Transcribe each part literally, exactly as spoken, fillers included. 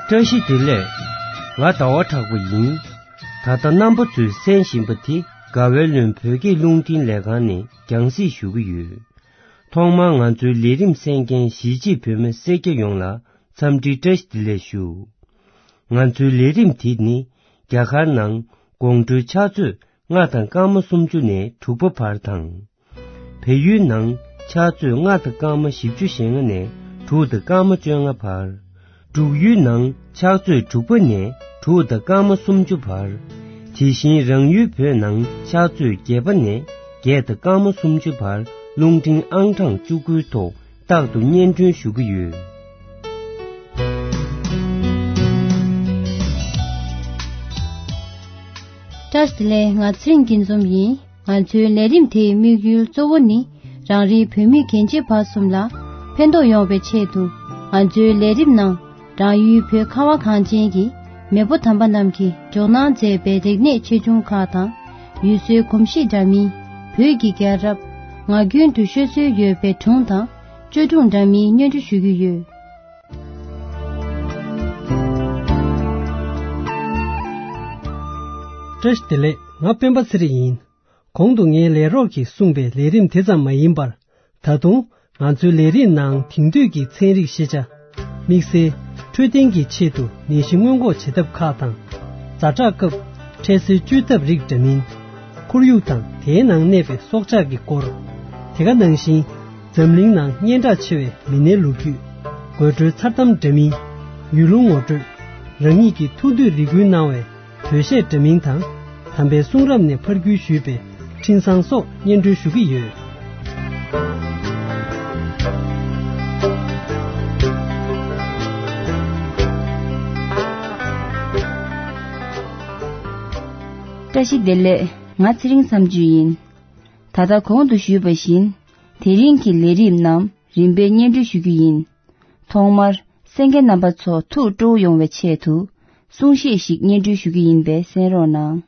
བཀྲ་ཤིས་བདེ་ལེགས། ང་ཟླ་བ་གྲགས་པ་ཡིན། ད་ལྟ་རྣམ་པ་ཚོས་གསན་བཞིན་པ་དེ་དགའ་བའི་ལུང་བོད་སྐད་རླུང་འཕྲིན་ལས་ཁང་ནས་རྒྱང་སྲིང་ཞུ་གི་ཡོད། ཐོག་མར་ང་ཚོའི་ལས་རིམ་གསན་མཁན་གཞིས་བྱེས་བོད་མི་སེར་སྐྱ་ཡོངས་ལ་འཚམས་འདྲི་བཀྲ་ཤིས་བདེ་ལེགས་ཞུ། ང་ཚོའི་ལས་རིམ་དེ་ནི་རྒྱ་གར་ནང་དགོང་དྲོའི་ཕྱག་ཚོད་ལྔ་དང་སྐར་མ་སུམ་ཅུ་ནས་དྲུག་པ་བར་དང་། བལ་ཡུལ་ནང་ཕྱག་ཚོད་ལྔ་དང་སྐར་མ་བཞི་བཅུ་ཞེ་ལྔ་ནས་དྲུག་དང་སྐར་མ་བཅོ་ལྔ་བར། འབྲུག་ཡུལ་ནང་ཕྱག་ཚོད་དྲུག་པ་ནས་དྲུག་དང་སྐར་མ་སུམ་ཅུ་བར། དེ་བཞིན་རང་ཡུལ་བོད་ནང་ཕྱག་ཚོད་བརྒྱད་པ་ནས་བརྒྱད་དང་སྐར་མ་སུམ་ཅུ་བར་རླུང་འཕྲིན་ཨང་གྲངས་བཅུ་དགུའི་ཐོག་རྟག་ཏུ་སྙན་སྒྲོན་ཞུ་གི་ཡོད། བཀྲ་ཤིས་བདེ་ལེགས། ང་ཚེ་རིང་སྐྱིད་འཛོམས་ཡིན། ང་ཚོའི་ལས་རིམ་དེའི་དམིགས་ཡུལ་གཙོ་བོ་ནི་རང་རེའི་བོད་མི་རྒན་བྱིས་བར་གསུམ་ལ་ཕན་ཐོགས་ཡོང་བའི་ཆེད་དུ། ང་ཚོའི་ལས་རིམ་ནང་རང་ཡུལ་བོད་ཁ་བ་གངས་ཅན་གྱི་མེས་པོ་དམ་པ་རྣམས་ཀྱིས་འཇོག་གནང་མཛད་པའི་རིག་གནས་ཆེ་ཆུང་ཁག་དང་། ཡུལ་སྲོལ་གོམས་གཤིས་འདྲ་མིན། བོད་ཀྱི་རྒྱལ་རབས། ངག་རྒྱུན་དུ་ཤོད་སྲོལ་ཡོད་པའི་སྒྲུང་དང་བཅོས་སྒྲུང་འདྲ་མིན་སྙན་སྒྲོན་ཞུ་རྒྱུ་ཡོད། བཀྲ་ཤིས་བདེ་ལེགས། ང་སྤེན་པ་ཚེ་རིང་ཡིན། གོང་དུ་ངའི་ལས་རོགས་ཀྱིས་གསུངས་པའི་ལས་རིམ་དེ་ཙམ་མ་ཡིན་པར། ད་དུང་ང་ཚོའི་ལས་རིམ་ནང་དེང་དུས་ཀྱི་ཚན་རིག་ཤེས་བྱ། དམིགས་བསལ་འཕྲོད་བསྟེན་གྱི་ཆེད་དུ་ནད་གཞི་སྔོན་འགོག་བྱེད་ཐབས་ཁག་དང་། ཛ་དྲག་སྐབས་འཕྲལ་སེལ་བཅོས་ཐབས་རིགས་འདྲ་མིན། ཁོར་ཡུག་དང་དེའི་ནང་གནས་པའི་སྲོག་ཆགས་ཀྱི་སྐོར། དེ་ག་ནང་བཞིན་འཛམ་གླིང་ནང་སྙན་གྲགས་ཆེ་བའི་མི་སྣའི་ལོ་རྒྱུས། དགོད་བྲོའི་མཚར་གཏམ་འདྲ་མིན། ཡུལ་ལུང་ངོ་སྤྲོད། རང་ཉིད་ཀྱི་ཐུགས་འདོད་རེ་སྐུལ་གནང་བའི་བོད་གཞས་འདྲ་མིན་དང་། དམ་པའི་གསུང་རབ་ནས་ཕར་བརྒྱུད་ཞུས་པའི་འཕྲིན་བཟང་སོགས་སྙན་སྒྲོན་ཞུ་གི་ཡོད། བཀྲ་ཤིས་བདེ་ལེགས། ང་ཚེ་རིང་མཚམས་གཅོད་ཡིན། ད་ལྟ་གོང་དུ་ཞུས་པ་བཞིན། དེ་རིང་གི་ལས་རིམ་རྣམས་རིམ་པས་སྙན་སྒྲོན་ཞུ་རྒྱུ་ཡིན། ཐོག་མར་གསན་མཁན་རྣམ་པ་ཚོ་ཐུགས་སྤྲོ་བོ་ཡོང་བའི་ཆེད་དུ་གསུང་བཤད་ཞིག་སྙན་སྒྲོན་ཞུ་རྒྱུ་ཡིན་པས་གསན་རོགས་གནང་།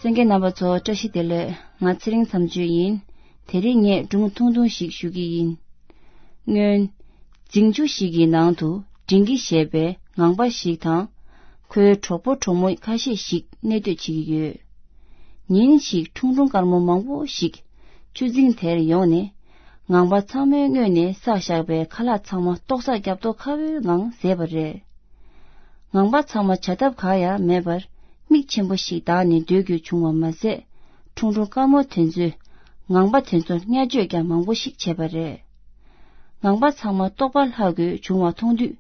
གསན་མཁན་རྣམ་པ་ཚོ་བཀྲ་ཤིས་བདེ་ལེགས། ང་ཚེ་རིང་མཚམས་གཅོད་ཡིན། དེ་རིང་ངས་སྒྲུང་ཐུང་ཐུང་ཞིག་ཞུ་གི་ཡིན། སྔོན། རྫིང་ཆུ་ཞིག་གི་ནང་དུ་འབྲིང་གི་ཞེས་པའི་ངང་པ་ཞིག་དང་། ཁོའི་གྲོགས་པོ་གྲོགས་མོ་ཁ་ཤས་ཤིག་གནས་སྡོད་བྱེད་ཀྱི་ཡོད། ཉིན་ཞིག་ཁྲུང་ཁྲུང་དཀར་མོ་མང་པོ་ཞིག་ཆུ་རྫིང་དེར་ཡོང་ནས། ངང་པ་ཚང་མའི་སྔོན་ནས་བསགས་བཞག་པའི་ཁ་ལག་ཚང་མ་ཏོག་ཙག་རྒྱབ་ཏོ་ཁ་བོའི་ངང་བཟས་པ་རེད། ངང་པ་ཚང་མ་བྱ་ཐབས་གང་ཡང་མེད་པར། མིག་ཆེན་པོ་ཞིག་བལྟས་ནས་སྡོད་དགོས་བྱུང་བ་མ་ཟད། ཁྲུང་ཁྲུང་དཀར་མོ་དེ་ཚོས་ངང་པ་དེ་ཚོར་བརྙས་བཅོས་ཀྱང་མང་པོ་ཞིག་བྱས་པ་རེད། ངང་པ་ཚང་མ་ལྟོགས་པ་ལྷག་དགོས་བྱུང་བ་མཐོང་དུས།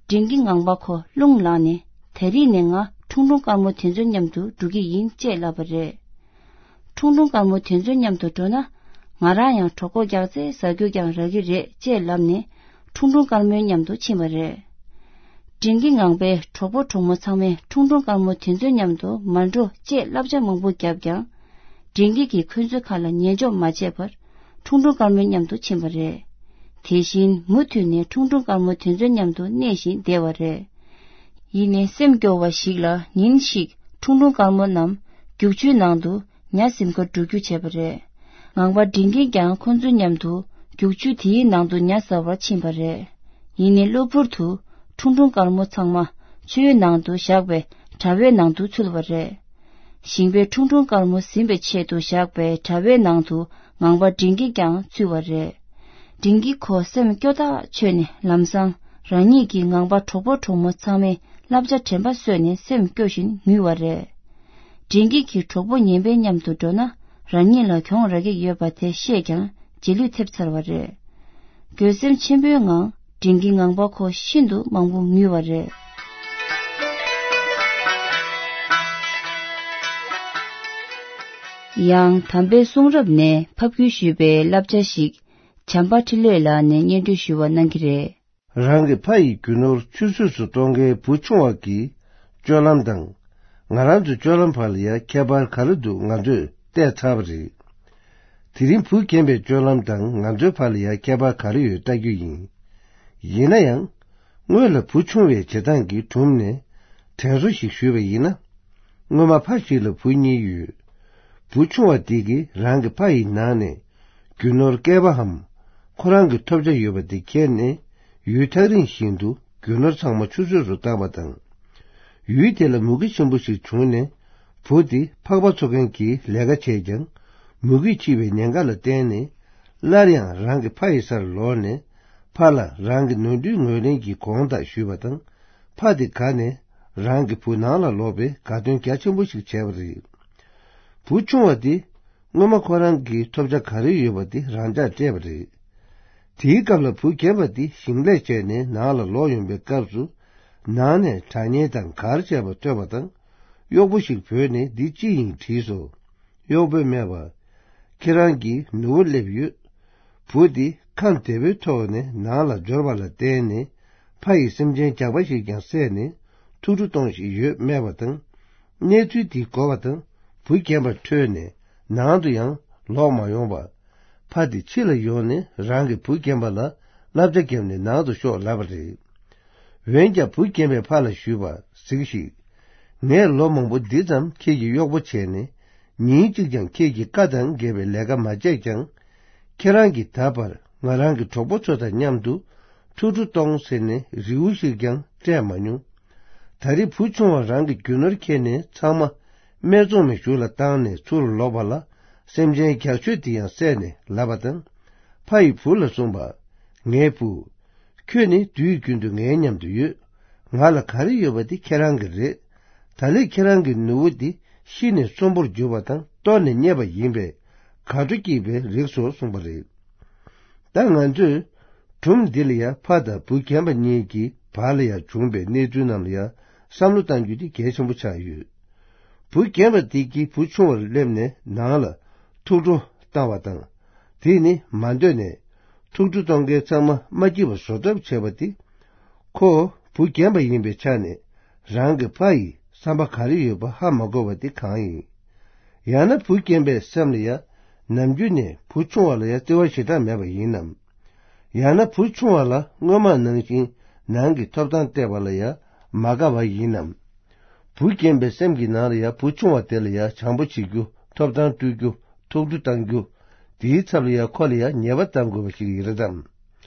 འབྲིང་གི་ངང་པ་ཁོ་རླུང་ལངས་ནས། ད་རིང་ནས་ང་ཁྲུང་ཁྲུང་དཀར་མོ་དེ་ཚོའི་མཉམ་དུ་འགྲོ་གི་ཡིན་ཅེས་ལབ་པ་རེད། ཁྲུང་ཁྲུང་དཀར་མོ་དེ་ཚོའི་མཉམ་དུ་འགྲོ་ན། ང་རང་ཡང་གྲོད་ཁོག་རྒྱགས་ཚད་ཟ་རྒྱུ་ཀྱང་རག་གི་རེད་ཅེས་ལབ་ནས། ཁྲུང་ཁྲུང་དཀར་མོའི་མཉམ་དུ་ཕྱིན་པ་རེད། འབྲིང་གི་ངང་པའི་གྲོགས་པོ་གྲོགས་མོ་ཚང་མས་ཁྲུང་ཁྲུང་དཀར་མོ་དེ་ཚོའི་མཉམ་དུ་མ་འགྲོ་ཅེས་བསླབ་བྱ་མང་པོ་བརྒྱབ་ཀྱང་། འབྲིང་གི་གིས་ཁོ་ཚོའི་ཁ་ལ་ཉན་འཇོག་མ་བྱས་པར། ཁྲུང་ཁྲུང་དཀར་མོའི་མཉམ་དུ་ཕྱིན་པ་རེད། དེ་བཞིན་མུ་མཐུད་ནས་ཁྲུང་ཁྲུང་དཀར་མོ་དེ་ཚོའི་མཉམ་དུ་གནས་བཞིན་བསྡད་པ་རེད། ཡིན་ནའི་སེམས་སྐྱོ་བ་ཞིག་ལ། ཉིན་ཞིག་ཁྲུང་ཁྲུང་དཀར་མོ་རྣམས་རྒྱུག་ཆུའི་ནང་དུ་ཉ་ཟིན་ཁར་འགྲོ་རྒྱུ་བྱས་པ་རེད། ངང་པ་འབྲིང་གིས་ཀྱང་ཁོ་ཚོའི་མཉམ་དུ་རྒྱུག་ཆུ་དེའི་ནང་དུ་ཉ་ཟ་བར་ཕྱིན་པ་རེད། ཡིན་ནའི་གློ་བུར་དུ་ཁྲུང་ཁྲུང་དཀར་མོ་ཚང་མ་ཆུའི་ནང་དུ་བཞག་པའི་དྲ་བའི་ནང་དུ་ཚུད་པ་རེད། ཞིང་པས་ཁྲུང་ཁྲུང་དཀར་མོ་ཟིན་པའི་ཆེད་དུ་བཞག་པའི་དྲ་བའི་ནང་དུ་ངང་པ་འབྲིང་གིས་ཀྱང་ཚུད་པ་རེད། འབྲིང་གིས་ཁོ་སེམས་སྐྱོ་ཐག་ཆོད་ནས། ལམ་སང་རང་ཉིད་ཀྱིས་ངང་པ་གྲོགས་པོ་གྲོགས་མོ་ཚང་མའི་བསླབ་བྱ་དྲན་པ་གསོས་ནས་སེམས་སྐྱོ་བཞིན་ངུས་པ་རེད། འབྲིང་གིས་གིས་གྲོགས་པོ་ངན་པའི་མཉམ་དུ་འགྲོ་ན། རང་ཉིད་ལ་གྱོང་རག་གི་ཡོད་པ་དེ་ཤེས་ཀྱང་། རྗེས་ལུས་ཐེབས་ཚར་བ་རེད། འགྱོད་སེམས་ཆེན་པོའི་ངང་། འབྲིང་གིས་ངང་པ་ཁོ་ཤིན་ཏུ་མང་པོ་ངུས་པ་རེད། ཡང་དམ་པའི་གསུང་རབ་ནས་ཕབ་བསྒྱུར་ཞུས་པའི་བསླབ་བྱ་ཞིག་བྱམས་པ་འཕྲིན་ལས་ལགས་ནས་སྙན་སྒྲོན་ཞུ་བ་གནང་གི་རེད། རང་གི་ཕ་ཡི་རྒྱུ་ནོར་ཆུད་ཟོས་སུ་གཏོང་མཁན་བུ་ཆུང་བ་གི་སྤྱོད་ལམ་དང་། ང་རང་ཚོའི་སྤྱོད་ལམ་བར་ལ་ཡང་ཁྱད་པར་ག་རེ་འདུག་ང་ཚོས་བལྟས་ཚར་བ་རེད། དེ་རིང་བུ་རྒན་པའི་སྤྱོད་ལམ་དང་ང་ཚོའི་བར་ལ་ཡང་ཁྱད་པར་ག་རེ་ཡོད་ལྟ་རྒྱུ་ཡིན། ཡིན་ན་ཡང་། སྔོན་ལ་བུ་ཆུང་བའི་བྱེད་སྟངས་ཀྱི་སྒྲུང་ནས་དྲན་གསོ་ཞིག་ཞུས་པ་ཡིན་ན། སྔོན་མ་ཕ་ཞིག་ལ་བུ་གཉིས་ཡོད། བུ་ཆུང་བ་དེ་གིས་རང་གི་ཕ་ཡི་ནང་ནས་རྒྱུ་ནོར་བསྐལ་པའམ་ཁོ་རང་གི་ཐོབ་བྱ་ཡོད་པ་དེ་ཁྱེར་ནས་ཡུལ་ཐག་རིང་ཞིག་ཏུ་རྒྱུ་ནོར་ཚང་མ་ཆུད་ཟོས་སུ་བཏང་བ་དང་། ཡུལ་དེ་ལ་མུ་གེ་ཆེན་པོ་ཞིག་བྱུང་ནས་བུ་དེ་ཕག་པ་འཚོ་མཁན་གྱི་ལས་ཀ་བྱས་ཀྱང་མུ་གེས་འཁྱིལ་བའི་ཉེན་ཁ་ལ་བརྟེན་ནས་སླར་ཡང་རང་གི་ཕ་ཡི་སར་ལོག་ནས་ཕ་ལ་རང་གི་ནོར་འཁྲུལ་ངོས་ལེན་གྱི་དགོངས་དག་ཞུས་པ་དང་། ཕ་དེ་དགའ་ནས་རང་གི་བུ་ནང་ལ་ལོག་པའི་དགའ་སྟོན་རྒྱ་ཆེན་པོ་ཞིག་བྱས་པ་རེད། བུ་ཆུང་བ་དེ་སྔོན་མ་ཁོ་རང་གི་ཐོབ་བྱ་ག་རེ་ཡོད་པ་དེ་རང་འཇགས་སྤྲད་པ་རེད། དེའི་སྐབས་ལ་བུ་རྒན་པ་དེ་ཞིང་ལས་བྱས་ནས་ནང་ལ་ལོག་ཡོང་པའི་སྐབས་སུ། ནང་ནས་སྒྲ་སྙན་དང་གར་བྱས་པ་ཐོས་པ་དང་། གཡོག་པོ་ཞིག་བོས་ནས་འདི་ཅི་ཡིན་དྲིས་སོ། གཡོག་པོས་སྨྲས་པ། ཁྱེད་རང་གི་ནུ་བོ་སླེབས་ཡོད། བུ་དེ་ཁམས་བདེ་པོའི་ཐོག་ནས་ནང་ལ་འབྱོར་བ་ལ་བརྟེན་ནས་ཕ་ཡིས་སེམས་ཅན་རྒྱགས་པ་ཞིག་ཀྱང་བསད་ནས་ཐུགས་སྤྲོ་གཏོང་བཞིན་ཡོད་སྨྲས་པ་དང་། གནས་ཚུལ་འདི་གོ་བ་དང་བུ་རྒན་པ་ཁྲོས་ནས་ནང་དུ་ཡང་ལོག་མ་ཡོང་བར། ཕ་དེ་ཕྱི་ལ་ཡོང་ནས་རང་གི་བུ་རྒན་པ་ལ་བསླབ་བྱ་བརྒྱབ་ནས་ནང་དུ་ཤོག་ལབ་པ་རེད། འོན་ཀྱང་བུ་རྒན་པས་ཕ་ལ་ཞུས་པ། གཟིགས་ཤིག་ངས་ལོ་མང་པོ་འདི་ཙམ་ཁྱེད་ཀྱི་གཡོག་པོ་བྱས་ནས་ཉིན་གཅིག་ཀྱང་ཁྱེད་ཀྱི་བཀའ་དང་འགལ་བའི་ལས་ཀ་མ་བྱས་ཀྱང་། ཁྱེད་རང་གིས་ད་བར་ང་རང་གི་གྲོགས་པོ་ཚོ་དང་མཉམ་དུ་ཐུགས་སྤྲོ་གཏོང་ཟེར་ནས་རེའུ་ཞིག་ཀྱང་སྤྲད་མ་མྱོང་། ད་རེས་བུ་ཆུང་བ་རང་གི་རྒྱུ་ནོར་ཁྱེར་ནས་ཚང་མ་སྨད་འཚོང་མའི་གཞུག་ལ་བཏང་ནས་ཚུར་ལོག་པ་ལ། སེམས་ཅན་རྒྱགས་ཤོས་དེ་ཡང་བསད་ནས་ལབ་པ་དང་། ཕ་ཡིས་བུ་ལ་གསུངས་པ། ངའི་བུ། ཁྱོད་ནི་དུས་རྒྱུན་དུ་ངའི་མཉམ་དུ་ཡོད། ང་ལ་ག་རེ་ཡོད་པ་དེ་ཁྱེད་རང་གི་རེད། ད་ལས་ཁྱེད་རང་གི་ནུ་བོ་དེ་ཤི་ནས་གསོན་པོར་གྱུར་པ་དང་གཏོར་ནས་རྙེད་པ་ཡིན་པས། དགའ་སྤྲོ་སྐྱེས་པའི་རིགས་སོ་གསུངས་པ་རེད། ད་ང་ཚོས་སྒྲུང་འདི་ལ་ཡང་ཕ་དང་བུ་རྒན་པ་གཉིས་ཀྱི་བར་ལ་ཡང་བྱུང་བའི་གནས་ཚུལ་རྣམས་ལ་ཡང་བསམ་བློ་གཏང་རྒྱུ་དེ་གལ་ཆེན་པོ་ཆགས་ཡོད། བུ་རྒན་པ་དེ་གིས་བུ་ཆུང་བར་སླེབས་ནས་ནང་ལ་ཐུགས་སྤྲོ་བཏང་བ་དང་། དེ་ནི་མ་འདོད་ནས་ཐུགས་སྤྲོ་གཏོང་མཁན་ཚང་མ་མ་སྐྱིད་པ་བཟོ་ཐབས་བྱས་པ་དེ། ཁོ་བུ་རྒན་པ་ཡིན་པའི་ཆ་ནས་རང་གི་ཕ་ཡི་བསམ་པ་ག་རེ་ཡོད་པ་ཧ་མ་གོ་བ་དེ་གང་ཡིན། ཡང་ན་བུ་རྒན་པའི་སེམས་ལ་ཡང་ནམ་རྒྱུན་ནས་བུ་ཆུང་བ་ལ་ཡང་བརྩེ་བ་ཞེ་དྲག་མེད་པ་ཡིན་ནམ། ཡང་ན་བུ་ཆུང་བ་ལ་སྔོན་མ་ནང་བཞིན་ནང་གི་ཐོབ་ཐང་སྤྲད་པ་ལ་ཡང་མ་དགའ་བ་ཡིན་ནམ། བུ་རྒན་པའི་སེམས་ཀྱི་ནང་ལ་ཡང་བུ་ཆུང་བ་དེ་ལ་ཡང་བྱམས་པོ་བྱེད་རྒྱུ། ཐོབ་ཐང་སྤྲོད་རྒྱུ། ཐུགས་སྤྲོ་གཏང་རྒྱུ། དེའི་ཚབ་ལ་ཡང་ཁོ་ལ་ཡང་ཉེས་པ་བཏབ་དགོས་པ་ཞིག་ཡིན་རེད་དམ།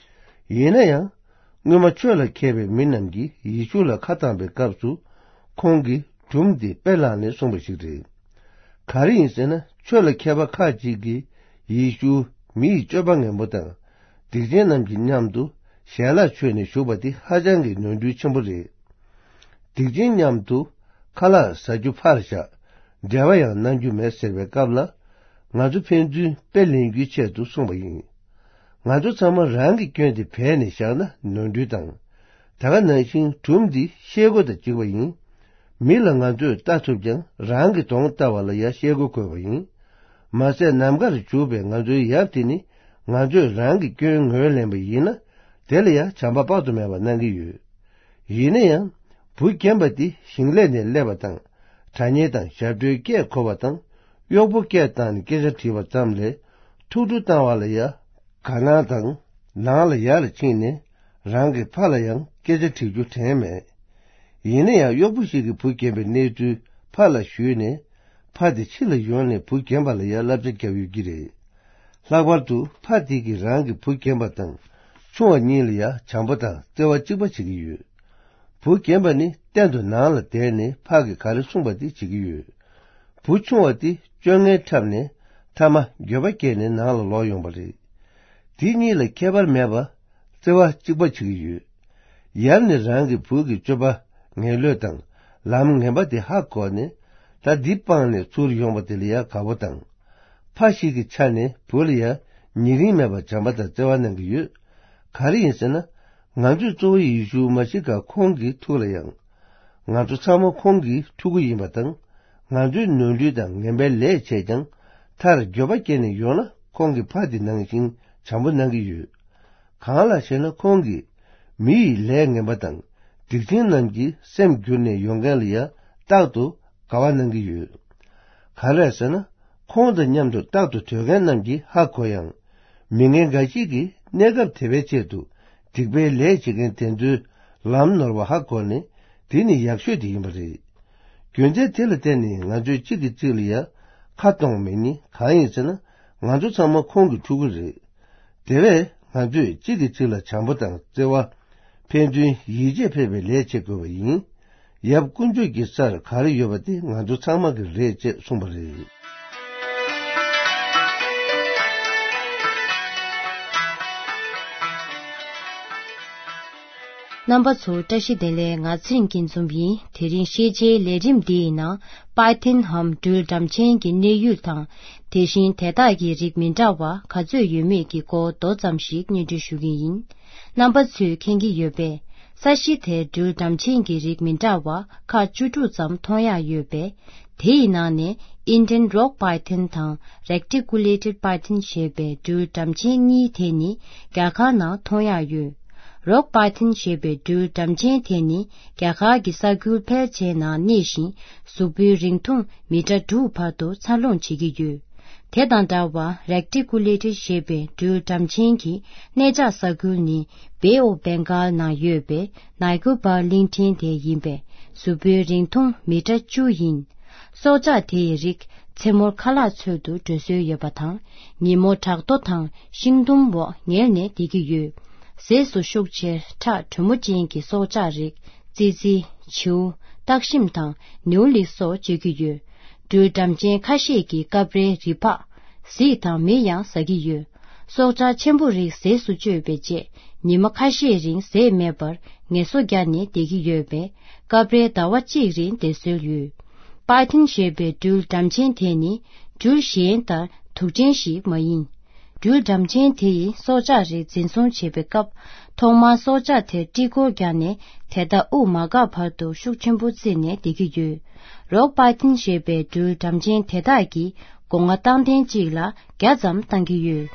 ཡིན་ན་ཡང་། སྔོན་མ་ཆོས་ལ་མཁས་པའི་མི་རྣམས་ཀྱིས་ཡེ་ཤུ་ལ་ཁ་བཏང་པའི་སྐབས་སུ། ཁོང་གིས་སྒྲུང་འདི་དཔེ་བླངས་ནས་གསུངས་པ་ཞིག་རེད། ག་རེ་ཡིན་ཟེར་ན། ཆོས་ལ་མཁས་པ་ཁག་ཅིག་གིས་ཡེ་ཤུ་མི་ཡི་སྤྱོད་པ་ངན་པོ་དང་། སྡིག་ཅན་རྣམས་ཀྱི་མཉམ་དུ་ཞལ་ལག་མཆོད་ནས་བཞུགས་པ་དེ་ཧ་ཅང་གི་ནོར་འཁྲུལ་ཆེན་པོ་རེད། སྡིག་ཅན་མཉམ་དུ་ཁ་ལག་ཟ་རྒྱུ་ཕར་བཞག་འབྲེལ་བ་ཡང་གནང་རྒྱུ་མེད་ཟེར་བའི་སྐབས་ལ། ང་ཚོ་ཕན་ཚུན་དཔེ་ལེན་རྒྱུའི་ཆེད་དུ་གསུངས་པ་ཡིན། ང་ཚོ་ཚང་མ་རང་གི་སྐྱོན་དེ་བས་ནས་བཞག་ན་ནོར་འཁྲུལ་དང་། ད་ག་ནང་བཞིན་སྒྲུང་འདི་ཤེལ་སྒོ་དང་གཅིག་པ་ཡིན། མི་ལ་ང་ཚོས་ལྟ་ཐུབ་ཀྱང་རང་གི་གདོང་ལྟ་བ་ལ་ཡང་ཤེལ་སྒོ་དགོས་པ་ཡིན། མ་ཟད་ནམ་མཁར་བྱུག་པའི་ང་ཚོའི་ཡབ་དེ་ནི་ང་ཚོས་རང་གི་སྐྱོན་ངོས་ལེན་པ་ཡིན་ན། དེ་ལ་ཡང་བྱམས་པ་དཔག་ཏུ་མེད་པ་གནང་གི་ཡོད། ཡིན་ན་ཡང་། བུ་རྒན་པ་འདི་ཞིང་ལས་ནས་སླེབས་པ་དང་། དྲ་བརྙན་དང་ཞབས་བྲོའི་སྐད་གོ་བ་དང་། གཡོག་པོ་སྐད་བཏང་ནས་སྐད་ཆ་དྲིས་པ་ཙམ་ལས། ཐུགས་སྤྲོ་བཏང་བ་ལ་ཡང་དགའ་སྣང་དང་། ནང་ལ་ཡར་ཕྱིན་ནས་རང་གི་ཕ་ལ་ཡང་སྐད་ཆ་དྲི་རྒྱུ་དྲན་མེད། ཡིན་ན་ཡང་གཡོག་པོ་ཞིག་གིས་བུ་རྒན་པའི་གནས་ཚུལ་ཕ་ལ་ཞུས་ནས། ཕ་དེ་ཕྱི་ལ་ཡོང་ནས་བུ་རྒན་པ་ལ་ཡང་བསླབ་བྱ་བརྒྱབ་ཡོད་ཀྱི་རེད། ལྷག་པར་དུ་ཕ་དེ་གིས་རང་གི་བུ་རྒན་པ་དང་ཆུང་བ་གཉིས་ལ་ཡང་བྱམས་པོ་དང་བརྩེ་བ་གཅིག་པ་བྱེད་ཀྱི་ཡོད། བུ་རྒན་པ་ནི་གཏན་དུ་ནང་ལ་བསྡད་ནས་ཕ་གིས་ག་རེ་གསུངས་པ་དེ་བྱེད་ཀྱི་ཡོད། བུ་ཆུང་བ་དེ་སྤྱོད་ངན་འཁྲབ་ནས་མཐའ་མ་འགྱོད་པ་སྐྱེས་ནས་ནང་ལ་ལོག་ཡོང་པ་རེད། དེ་གཉིས་ལ་ཁྱད་པར་མེད་པ་བརྩེ་བ་གཅིག་པ་བྱེད་ཀྱི་ཡོད། ཡབ་ནི་རང་གི་བུ་གི་སྤྱོད་པ་ངན་ལོས་དང་ལམ་ངན་པ་དེ་ཧ་གོ་ནས། ད་འདི་སྤངས་ནས་ཚུར་ཡོང་བ་དེ་ལ་ཡང་དགའ་པོ་དང་། ཕ་ཞིག་གི་ཆ་ནས་བུ་ལ་ཡང་ཉེ་རིང་མེད་པར་བྱམས་པ་དང་བརྩེ་བ་གནང་གི་ཡོད། ག་རེ་ཡིན་ཟེར་ན། ང་ཚོས་གཙོ་བོ་ཡེ་ཤུ་མ་ཤི་ཀ་ཁོང་གི་ཐུགས་ལ་ཡང་། ང་ཚོ་ཚང་མ་ཁོང་གི་ཕྲུ་གུ་ཡིན་པ་དང་། ང་ཚོའི་ནོར་འཁྲུལ་དང་ངན་པའི་ལས་བྱས་ཀྱང་། མཐར་འགྱོད་པ་སྐྱེས་ནས་ཡོང་ན་ཁོང་གི་ཕ་དེ་ནང་བཞིན། བྱམས་པོ་གནང་གི་ཡོད། གང་ལགས་ཤེ་ན། ཁོང་གིས་མི་ཡི་ལས་ངན་པ་དང་སྡིག་ཅན་རྣམས་ཀྱི་སེམས་བསྒྱུར་ནས་ཡོང་མཁན་ལ་ཡང་རྟག་ཏུ་དགའ་བ་གནང་གི་ཡོད། ག་རེ་ཟེར་ན། ཁོང་དང་མཉམ་དུ་རྟག་ཏུ་སྡོད་མཁན་རྣམས་ཀྱིས་ཧ་གོ་ཡང་། མི་ངན་འགའ་ཞིག་གིས་གནས་སྐབས་དེ་བའི་ཆེད་དུ་སྡིག་པའི་ལས་བྱེད་མཁན་དེ་ཚོའི་ལམ་ནོར་བ་ཧ་གོ་ནས། དེ་ནི་ཡག་ཤོས་དེ་ཡིན་པ་རེད། རྒྱུ་མཚན་དེ་ལ་བརྟེན་ནས་ང་ཚོས་གཅིག་གིས་གཅིག་ལ་ཡང་ཁ་གཏོང་མེད་ནི་གང་ཡིན་ཟེར་ན། ང་ཚོ་ཚང་མ་ཁོང་གི་ཕྲུ་གུ་རེད། དེ་བས་ང་ཚོས་གཅིག་གིས་གཅིག་ལ་བྱམས་པོ་དང་བརྩེ་བ། ཕན་ཚུན་ཡིད་ཆེས་ཕེབས་པའི་ལས་བྱེད་དགོས་པ་ཡིན། ཡབ་དཀོན་མཆོག་གི་སར་ག་རེ་ཡོད་པ་དེ་ང་ཚོ་ཚང་མ་གི་རེད་ཅེས་གསུངས་པ་རེད། རྣམ་པ་ཚོ་བཀྲ་ཤིས་བདེ་ལེགས། ང་ཚེ་རིང་སྐྱིད་འཛོམས་ཡིན། དེ་རིང་ཤེས་བྱའི་ལས་རིམ་འདིའི་ནང་པའི་ཐན་འམ་སྦྲུལ་འགྲམ་ཆེན་གྱི་གནས་ཡུལ་དང་། དེ་བཞིན་དེ་དག་གི་རིགས་མི་འདྲ་བ་ག་ཚོད་ཡོད་མེད་ཀྱི་སྐོར་མདོ་ཙམ་ཞིག་སྙན་སྒྲོན་ཞུ་གི་ཡིན། རྣམ་པ་ཚོས་མཁྱེན་གྱི་ཡོད་པས། ས་གཞི་དེར་སྦྲུལ་འགྲམ་ཆེན་གྱི་རིགས་མི་འདྲ་བ་ཁག་བཅུ་དྲུག་ཙམ་མཐོང་ཡག་ཡོད་པས། དེ་ཡི་ནང་ནས་Indian Rock Python དང་Reticulated Python ཞེས་པའི་སྦྲུལ་འགྲམ་ཆེན་གཉིས་དེ་ནི་རྒྱ་གར་ནང་མཐོང་ཡག་ཡོད། Rock Python ཞེས་པའི་སྦྲུལ་འགྲམ་ཆེན་དེ་ནི་རྒྱ་གར་གྱི་ས་ཁུལ་ཕལ་ཆེར་ནང་གནས་ཤིང་། གཟུགས་པོའི་རིང་ཐུང་མི་ཊར་དྲུག་བར་དུ་འཚར་ལོངས་བྱེད་ཀྱི་ཡོད། དེ་དང་འདྲ་བར་Reticulated ཞེས་པའི་སྦྲུལ་འགྲམ་ཆེན་གྱི་གནས་འཇགས་ས་ཁུལ་ནི་Bay of Bengal ནང་ཡོད་པའི་ནའི་ཀོ་པར་གླིང་ཕྲན་དེ་ཡིན་པས། གཟུགས་པོའི་རིང་ཐུང་མི་ཊར་བཅུ་ཡིན། སྲོག་ཆགས་དེའི་རིགས་མཚན་མོར་ཁ་ལག་འཚོལ་དུ་འགྲོ་སྲོལ་ཡོད་པ་དང་། ཉིན་མོ་བྲག་རྡོ་དང་ཤིང་དུམ་འོག་ཉལ་ནས་བསྡད་ཀྱི་ཡོད། ཟས་སུ་ཤུགས་ཆེར་ཁྲག་དྲོན་མོ་ཅན་གྱི་སྲོག་ཆགས་རིགས། ཙི་ཙི། བྱིའུ། སྟག་ཤིང་དང་ནེའུ་ལི་སོགས་སྤྱོད་ཀྱི་ཡོད། སྦྲུལ་འགྲམ་ཆེན་ཁ་ཤས་ཀྱིས་སྐབས་རེ་རི་ཕག་གཟིག་དང་མེ་ཡང་ཟ་གི་ཡོད། སྲོག་ཆགས་ཆེན་པོ་རིགས་ཟས་སུ་སྤྱོད་པའི་རྗེས། ཉི་མ་ཁ་ཤས་རིང་ཟས་མེད་པར་ངལ་གསོ་བརྒྱབ་ནས་བསྡད་ཀྱི་ཡོད་པས། སྐབས་རེ་ཟླ་བ་གཅིག་རིང་བསྡད་སྲོལ་ཡོད། པའི་ཐན་ཞེས་པའི་སྦྲུལ་འགྲམ་ཆེན་དེ་ནི་སྦྲུལ་གཞན་ལྟར་དུག་ཅན་ཞིག་མ་ཡིན། སྦྲུལ་འགྲམ་ཆེན་དེ་ཡིས་སྲོག་ཆགས་རིགས་འཛིན་བཟུང་བྱེད་པའི་སྐབས། ཐོག་མར་སྲོག་ཆགས་དེར་དཀྲིལ་འཁོར་བརྒྱབ་ནས་དེ་དག་དབུགས་མ་འགག་བར་དུ་ཤུགས་ཆེན་པོ་བརྩིས་ནས་བསྡད་ཀྱི་ཡོད། རོག་པའི་ཐན་ཞེས་པའི་སྦྲུལ་འགྲམ་ཆེན་དེ་དག་གིས་སྒོ་ང་རྟག་ལྡན་གཅིག་ལ་བརྒྱ་ཙམ་བཏང་གི་ཡོད།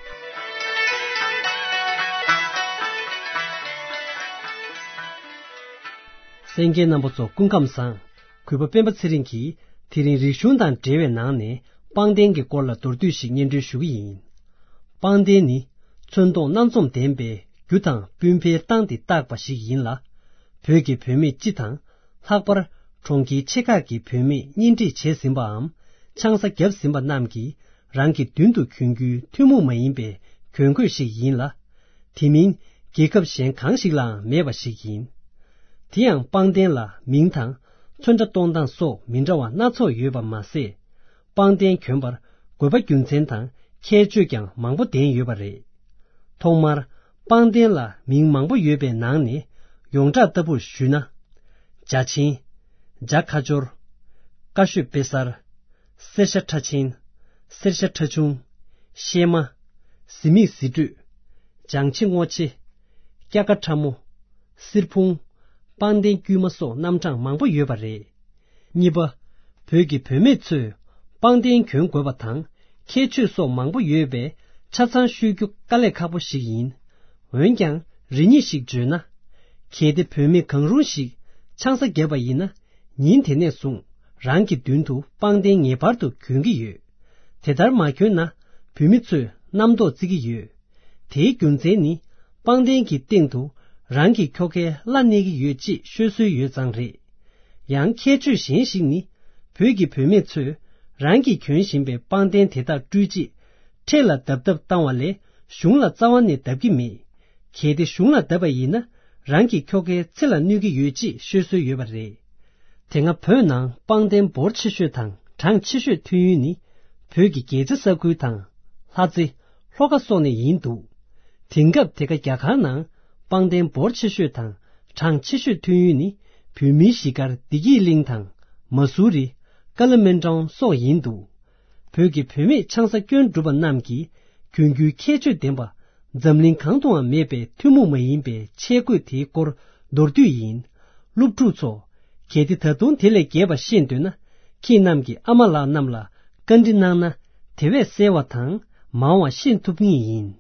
གསན་མཁན་རྣམ་པ་ཚོ་སྐུ་ཁམས་བཟང་། གུས་པ་སྤེན་པ་ཚེ་རིང་གིས་དེ་རིང་རིག་གཞུང་དང་འབྲེལ་བའི་ནང་ནས་པང་གདན་གྱི་སྐོར་ལ་མདོར་བསྡུས་ཤིག་སྙན་སྒྲོན་ཞུ་གི་ཡིན། པང་གདན་ནི་ཚོན་མདོག་སྣ་འཛོམས་ལྡན་པའི་རྒྱུ་དང་སྤུས་འཕེལ་སྟངས་དེ་བཏགས་པ་ཞིག་ཡིན་ལ། བོད་ཀྱི་བུད་མེད་སྤྱི་དང་། ལྷག་པར་གྲོང་ཁྱེར་ཆེ་ཁག་གི་བུད་མེད་གཉེན་སྒྲིག་བྱས་ཟིན་པའམ་ཆང་ས་བརྒྱབ་ཟིན་པ་རྣམས་ཀྱིས་རང་གི་མདུན་དུ་གྱོན་རྒྱུའི་ཐུན་མོང་མ་ཡིན་པའི་གྱོན་གོས་ཤིག་ཡིན་ལ། དེ་མིན་རྒྱལ་ཁབ་གཞན་གང་ཞིག་ལའང་མེད་པ་ཞིག་ཡིན། དེ་ཡང་པང་གདན་ལ་མིང་དང་ཚོན་ཁྲ་གཏོང་སྟངས་སོགས་མི་འདྲ་བ་སྣ་ཚོགས་ཡོད་པ་མ་ཟད། པང་གདན་གྱོན་པར་དགོས་པ་རྒྱུ་མཚན་དང་ཁྱད་ཆོས་ཀྱང་མང་པོ་ལྡན་ཡོད་པ་རེད། ཐོག་མར་པང་གདན་ལ་མིང་མང་པོ་ཡོད་པའི་ནང་ནས་ཡོངས་གྲགས་ལྟ་བུར་ཞུས་ན། བྱ་ཆེན། བྱ་ཁ་སྦྱོར། ཀ་ཤོད་དཔེ་གསར། སེར་ཤ་ཁྲ་ཆེན། སེར་ཤ་ཁྲ་ཆུང་། གཤེད་མ། གཟི་མིག་གཟི་སྤྲོས། ལྗང་ཆེ་སྔོ་ཆེ། སྐྱ་ཀ་ཁྲ་མོ། སེར་ཕུང་། པང་གདན་དཀྱུས་མ་སོགས་རྣམ་གྲངས་མང་པོ་ཡོད་པ་རེད། གཉིས་པ། བོད་ཀྱི་བུད་མེད་ཚོས་པང་གདན་གྱོན་དགོས་པ་དང་ཁྱད་ཆོས་སོགས་མང་པོ་ཡོད་པས་ཆ་ཚང་ཤོད་རྒྱུ་དཀའ་ལས་ཁག་པོ་ཞིག་ཡིན། འོན་ཀྱང་རེ་གཉིས་ཤིག་བརྗོད་ན། གལ་ཏེ་བུད་མེད་གང་རུང་ཞིག་ཆང་ས་བརྒྱབ་པ་ཡིན་ན། ཉིན་དེ་ནས་བཟུང་རང་གི་མདུན་དུ་པང་གདན་ངེས་པར་དུ་གྱོན་གྱི་ཡོད། དེ་ལྟར་མ་གྱོན་ན་བུད་མེད་ཚོས་རྣམ་རྟོག་བརྩི་གི་ཡོད། དེའི་རྒྱུ་མཚན་ནི་པང་གདན་གྱི་སྟེང་དུ་རང་གི་ཁྱོ་གའི་བླ་གནས་ཀྱི་ཡོད་ཅེས་ཤོད་སྲོལ་ཡོད་ཙང་རེད། ཡང་ཁྱད་ཆོས་གཞན་ཞིག་ནི་བོད་ཀྱི་བུད་མེད་ཚོས་རང་གིས་གྱོན་བཞིན་པའི་པང་གདན་དེ་དག་སྤྲུལ་རྗེས་འཕྲེད་ལ་བརྡབ་བརྡབ་བཏང་བ་ལས་གཞུང་ལ་རྩ་བ་ནས་བརྡབ་ཀྱི་མེད། གལ་ཏེ་གཞུང་ལ་བརྡབ་པ་ཡིན་ན་རང་གི་ཁྱོ་གའི་ཚེ་ལ་གནོད་ཀྱི་ཡོད་ཅེས་ཤོད་སྲོལ་ཡོད་པ་རེད། དེ་སྔ་བོད་ནང་པང་གདན་འབོར་ཆེ་ཤོས་དང་གྲངས་ཆེ་ཤོས་ཐོན་ཡུལ་ནི་བོད་ཀྱི་རྒྱལ་རྩེ་ས་ཁུལ་དང་ལྷ་རྩེ། ལྷོ་ཁ་སོགས་ནས་ཡིན་འདུག་དེང་སྐབས་དེ་ག་རྒྱ་གར་ནང་པང་གདན་འབོར་ཆེ་ཤོས་དང་གྲངས་ཆེ་ཤོས་ཐོན་ཡུལ་ནི་བོད་མིའི་གཞིས་སྒར་བདེ་སྐྱིད་གླིང་དང་མ་སུ་རི། ཀ་ལི་མན་ཀྲོང་སོགས་ཡིན་འདུག་བོད་ཀྱི་བུད་མེད་ཆང་ས་སྐྱོན་གྲུབ་པ་རྣམས་ཀྱིས་གྱོན་རྒྱུའི་ཁྱད་ཆོས་ལྡན་པ། འཛམ་གླིང་གང་དུའང་མེད་པའི་ཐུན་མོང་མ་ཡིན་པའི་ཆས་གོས་དེའི་སྐོར་མདོར་བསྡུས་ཡིན། སློབ་ཕྲུག་ཚོ། གལ་ཏེ་ད་དུང་དེ་ལས་རྒྱས་པ་ཤེས་འདོད་ན། ཁྱེད་རྣམས་ཀྱི་ཨ་མ་ལགས་རྣམས་ལ་བཀའ་འདྲི་གནང་ན། དེ་བས་གསལ་བ་དང་མང་བ་ཤེས་ཐུབ་ངེས་ཡིན།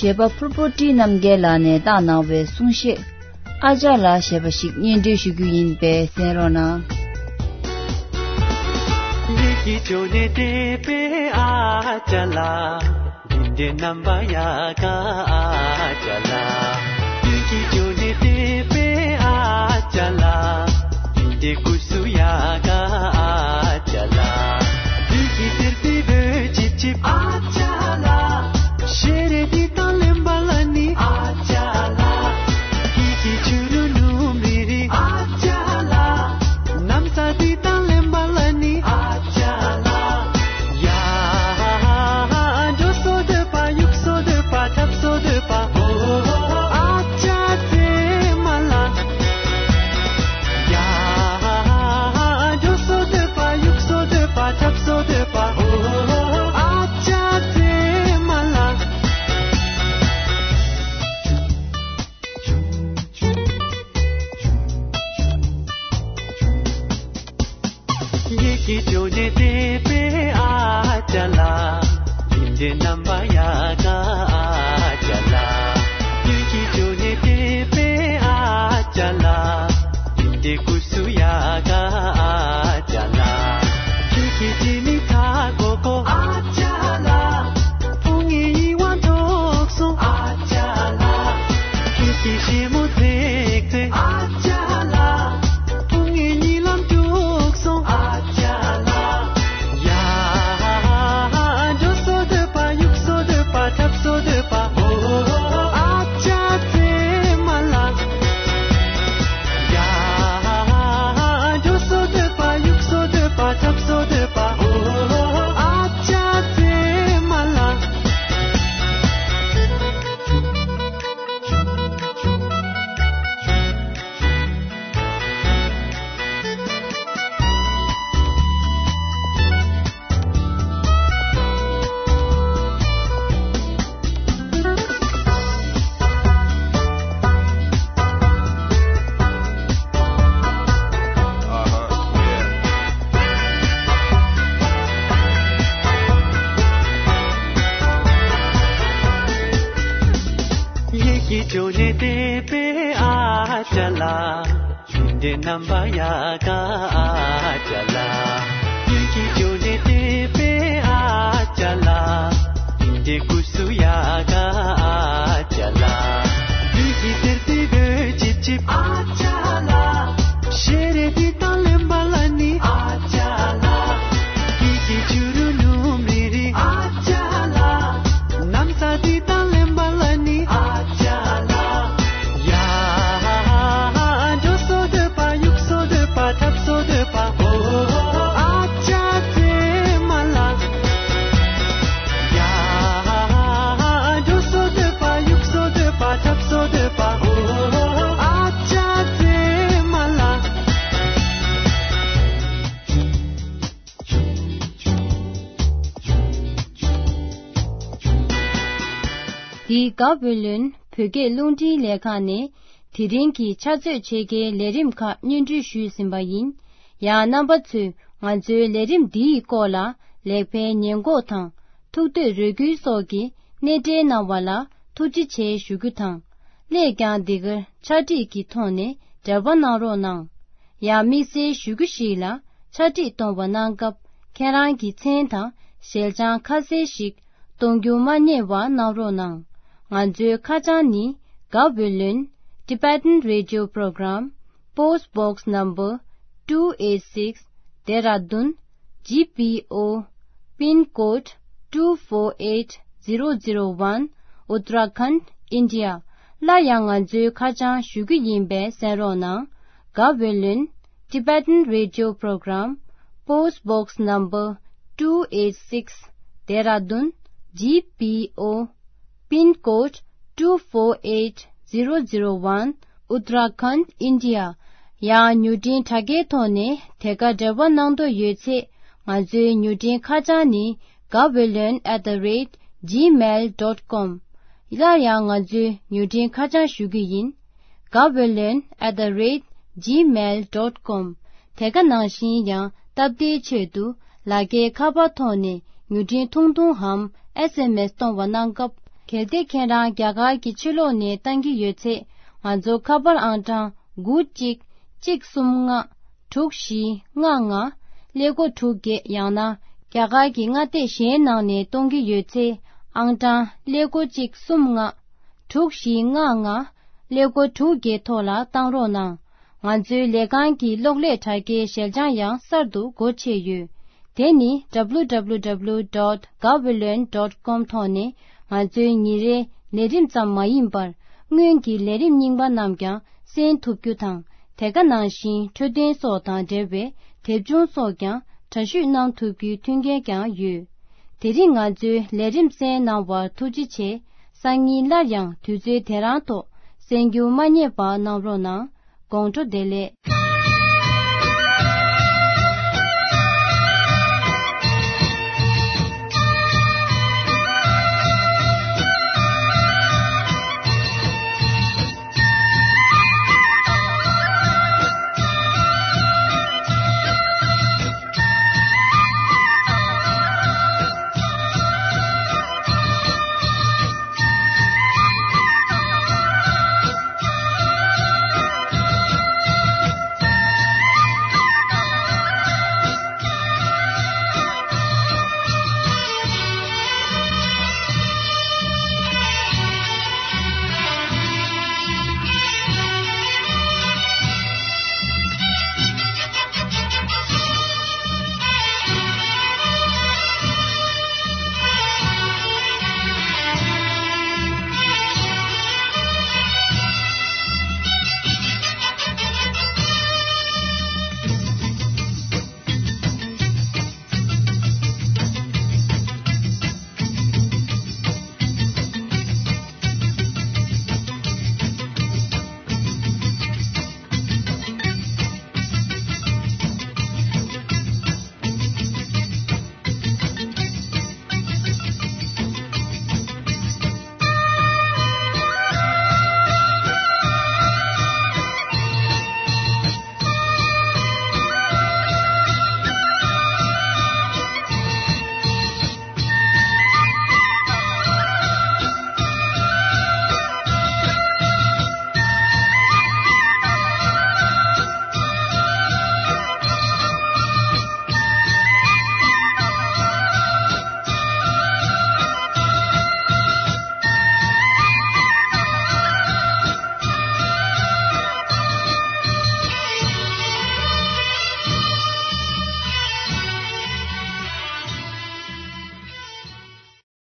གཞས་པ་ཕུར་བུ་བཀྲིས་རྣམ་རྒྱལ་ལགས་ནས་བཏང་གནང་བའི་གསུང་བཤད། ཨ་ཅག་ལགས་ཞེས་པ་ཞིག་སྙན་སྒྲོན་ཞུ་རྒྱུ་ཡིན་པས་གསན་རོགས་གནང་། ཡིད་ཀྱི་ཅོ་ནེ་ཏེ་པེ་ཨ་ཅག་ལགས། འདི་འདྲའི་རྣམ་པ་ཡག་ག་ཨ་ཅག་ལགས། ཡིད་ཀྱི་ཅོ་ནེ་ཏེ་པེ་ཨ་ཅག་ལགས། འདི་འདྲའི་ཀུ་སུ་ཡག་ག་ཨ་ཅག་ལགས། འདི་གི་ཟེར་ཏེ་བོད་ཅིབ་ཅིབ་ཨ་ཅག་ལགས། ཤེ་རེ་འདི་དང་ལེན་པ་ལ་ནི་ཨ་ཅག་ལགས། ཡིད་ཀྱི་ཆུ་རུ་ནུམ་རི་རི་ཨ་ཅག་ལགས། ནམ་ས་འདི་དང་ལེན་པ་ལ་ནི་ཨ་ཅག་ལགས། ཡ། འགྲོ་སོ་འདོད་པ་གཡུག་སོ་འདོད་པ་འཁྲབ་སོ་འདོད་པ། ཨོ། ཨ་ཅག་ཙེ་མ་ལ། ཡ། འགྲོ་སོ་འདོད་པ་གཡུག་སོ་འདོད་པ་འཁྲབ་སོ་འདོད་པ། ཨོ། ཨ་ཅག་ཙེ་མ་ལ། ཡིད་ཀྱི་ཅོ་ནེ་ཏེ་པེ་ཨ་ཅག་ལགས། འདི་འདྲའི་རྣམ་པ་ཡག་ག་ཨ་ཅག་ལགས། ཡིད་ཀྱི་ཅོ་ནེ་ཏེ་པེ་ཨ་ཅག་ལགས། འདི་འདྲའི་ཀུ་སུ་ཡག་ག་ཨ་ཅག་ལགས། ཁྱོད་ཀྱི་ཅི་མི་ཐ་གོ་གོ་ཨ་ཅག་ལགས། ཕུང་ངེ་ཡི་ཝང་ཐོག་སོང་ཨ་ཅག་ལགས། ཁྱོད་ཀྱི་ཞེ་མོ་ཚེག་ཚེག་ཨ་ཅག་ལགས། ཕུང་ངེ་ཉི་ལམ་དཀྲུག་སོང་ཨ་ཅག་ལགས། ཡ། འགྲོ་སོ་འདོད་པ་གཡུག་སོ་འདོད་པ་འཁྲབ་སོ་འདོད་པ། ཨོ། ཨ་ཅག་ཙེ་མ་ལ། ཡ། འགྲོ་སོ་འདོད་པ་གཡུག་སོ་འདོད་པ་འཁྲབ་སོ་འདོད་པ། ཨོ། ཨ་ཅག་ཙེ་མ་ལ། ཡིད་ཀྱི་ཅོ་ནེ་ཏེ་པེ་ཨ་ཅག་ལགས། འདི་འདྲའི་རྣམ་པ་ཡག་ག་ཨ་ཅག་ལགས། ཡིད་ཀྱི་ཅོ་ནེ་ཏེ་པེ་ཨ་ཅག་ལགས། འདི་འདྲའི་ཀུ་སུ་ཡག་ག་ཨ་ཅག་ལགས། འདི་གི་ཟེར་ཏེ་བོད་ཅིབ་ཅིབ་ཨ་ཅག་ལགས། ཤེ་རེ་འདི་དང་ལེན་པ་ལ་ནི་ཨ་ཅག་ལགས། ཡིད་ཀྱི་ཆུ་རུ་ནུམ་རི་རི་ཨ་ཅག་ལགས། ནམ་ས་འདི་དང་ལེན་པ་ལ་ནི་ཨ་ཅག་ལགས། ཡ། འགྲོ་སོ་འདོད་པ་གཡུག་སོ་འདོད་པ་འཁྲབ་སོ་འདོད་པ། ཨོ། ཨ་ཅག་ཙེ་མ་ལ། ཡ། འགྲོ་སོ་འདོད་པ་གཡུག་སོ་འདོད་པ་འཁྲབ་སོ་འདོད་པ། ཨོ། ཨ་ཅག་ཙེ་མ་ལ། འདི་ག་བོད་ལུན་བོད་སྐད་རླུང་འཕྲིན་ལས་ཁང་ནས་དེ་རིང་གི་ཕྱག་ཚོད་ཕྱེད་ཀའི་ལས་རིམ་ཁག་སྙན་སྒྲོན་ཞུས་ཟིན་པ་ཡིན། ཡང་རྣམ་པ་ཚོས་ང་ཚོའི་ལས་རིམ་འདིའི་སྐོར་ལ་ལེགས་སྤེལ་ཉེས་འགོག་དང་ཐུགས་འདོད་རེ་སྐུལ་སོགས་ཀྱི་གནས་འབྲེལ་གནང་བ་ལ་ཐུགས་རྗེ་ཆེ་ཞུ་རྒྱུ་དང་། སླད་ཀྱང་འདི་གར་ཕྱག་བྲིས་ཀྱི་ཐོག་ནས་འབྲེལ་བ་གནང་རོགས་གནང་། ཡང་དམིགས་བསལ་ཞུ་རྒྱུ་ཞིག་ལ་ཕྱག་བྲིས་གཏོང་བ་གནང་སྐབས་ཁྱེད་རང་གི་མཚན་དང་ཞལ་བྱང་ཁ་གསལ་ཞིག་གཏོང་རྒྱུ་མ་བསྙེལ་བ་གནང་རོགས་གནང་། ང་ཚོའི་ཁ་བྱང་ནི་ག་བོད་ལུན། Tibetan Radio Program, Post Box Number two eight six, Dehradun, G P O, Pin Code two four eight zero zero one, Uttarakhand, India. སླར་ཡང་ང་ཚོའི་ཁ་བྱང་ཞུ་རྒྱུ་ཡིན་པས་གསན་རོགས་གནང་། ག་བོད་ལུན། Tibetan Radio Program, Post Box Number two eight six, Dehradun, G P O, Pin Code two four eight zero zero one, Uttarakhand, India. ཡང་མྱུར་འཕྲིན་དྲ་རྒྱའི་ཐོག་ནས་དེ་ག་འབྲེལ་བ་གནང་འདོད་ཡོད་ཚེ། ང་ཚོའི་མྱུར་འཕྲིན་ཁ་བྱང་ནི་Gaweylon at the rate gmail dot com། སླར་ཡང་ང་ཚོའི་མྱུར་འཕྲིན་ཁ་བྱང་ཞུ་རྒྱུ་ཡིན། Gaweylon at the rate gmail dot com། དེ་ག་ནང་བཞིན་ཡང་སྟབས་བདེའི་ཆེད་དུ་ལག་འཁྱེར་ཁ་པར་ཐོག་ནས་མྱུར་འཕྲིན་ཐུང་ཐུང་འམ་S M S་གཏོང་བ་གནང་སྐབས། གལ་ཏེ་ཁྱེད་རང་རྒྱ་གར་གྱི་ཕྱི་ལོགས་ནས་བཏང་གི་ཡོད་ཚེ། ང་ཚོ་ཁ་པར་ཨང་གྲངས་དགུ་གཅིག་གཅིག་གསུམ་ལྔ་དྲུག་བཞི་ལྔ་ལྔ་ཀླད་ཀོར་དྲུག་བརྒྱད། ཡང་ན་རྒྱ་གར་གྱི་མངའ་སྡེ་གཞན་ནང་ནས་གཏོང་གི་ཡོད་ཚེ། ཨང་གྲངས་ཀླད་ཀོར་གཅིག་གསུམ་ལྔ་དྲུག་བཞི་ལྔ་ལྔ་ཀླད་ཀོར་དྲུག་བརྒྱད་ཐོག་ལ་བཏང་རོགས་གནང་། ང་ཚོའི་ལས་ཁང་གི་གློག་ཀླད་དྲ་རྒྱའི་ཞལ་བྱང་ཡང་གསར་དུ་སྒོ་ཕྱེ་ཡོད། དེ་ནི་W W W dot gaweylon dot com ཐོག་ནས་ང་ཚོའི་ཉིན་རེའི་ལས་རིམ་ཙམ་མ་ཡིན་པར། སྔོན་གྱི་ལས་རིམ་རྙིང་པ་རྣམས་ཀྱང་གསན་ཐུབ་རྒྱུ་དང་། དེ་ག་ནང་བཞིན་འཕྲོད་བསྟེན་སོགས་དང་འབྲེལ་བའི་དེབ་ཆུང་སོགས་ཀྱང་འདྲ་བཤུས་གནང་ཐུབ་རྒྱུའི་མཐུན་རྐྱེན་ཀྱང་ཡོད། དེ་རིང་ང་ཚོའི་ལས་རིམ་གསན་གནང་བར་ཐུགས་རྗེ་ཆེ། སང་ཉིན་སླར་ཡང་དུས་ཚོད་དེ་རང་ཐོག་གསན་རྒྱུ་མ་བསྙེལ་བ་གནང་རོགས་གནང་། དགོང་དྲོ་བདེ་ལེགས།